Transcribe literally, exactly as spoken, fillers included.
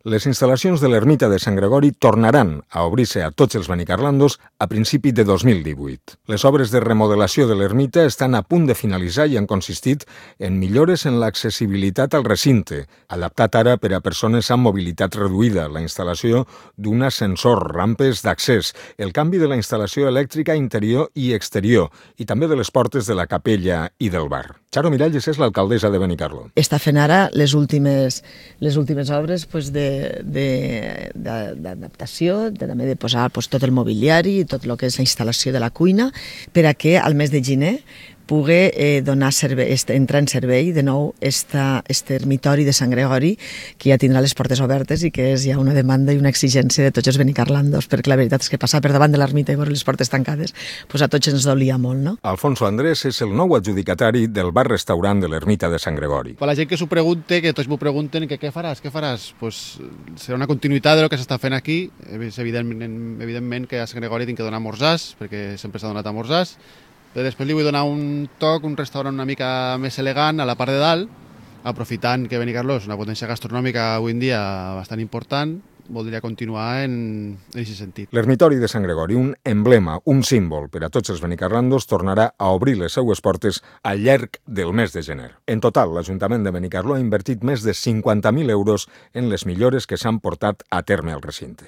Les instal·lacions de l'ermita de Sant Gregori tornaran a obrir-se a tots els benicarlandos a principi de dos mil divuit. Les obres de remodelació de l'ermita estan a punt de finalitzar i han consistit en millores en l'accessibilitat al recinte, adaptat ara per a persones amb mobilitat reduïda, la instal·lació d'un ascensor, rampes d'accés, el canvi de la instal·lació elèctrica interior i exterior i també de les portes de la capella i del bar. Charo Miralles és l'alcaldessa de Benicarló. Està fent ara les últimes, les últimes obres pues, de, de, de, d'adaptació, de, també de posar pues, tot el mobiliari i tot el que és la instal·lació de la cuina per a que al mes de gener pugui eh, donar servei, entrar en servei de nou esta, este ermitori de Sant Gregori, que ja tindrà les portes obertes i que és ja una demanda i una exigència de tots els benicarlandos, perquè la veritat és que passar per davant de l'ermita i veure les portes tancades pues a tots ens dolia molt, no? Alfonso Andrés és el nou adjudicatari del bar-restaurant de l'ermita de Sant Gregori. Per la gent que s'ho pregunte, que tots m'ho pregunten, que què faràs, què faràs? Pues serà una continuïtat del que s'està fent aquí. És evidentment, evidentment que a Sant Gregori tinc que donar esmorzars, perquè sempre s'ha donat esmorzars, però després li vull donar un toc, un restaurant una mica més elegant a la part de dalt, aprofitant que Benicarló és una potència gastronòmica avui en dia bastant important, voldria continuar en aquest sentit. L'ermitori de Sant Gregori, un emblema, un símbol per a tots els benicarlandos, tornarà a obrir les seues portes al llarg del mes de gener. En total, l'Ajuntament de Benicarló ha invertit més de cinquanta mil euros en les millores que s'han portat a terme al recinte.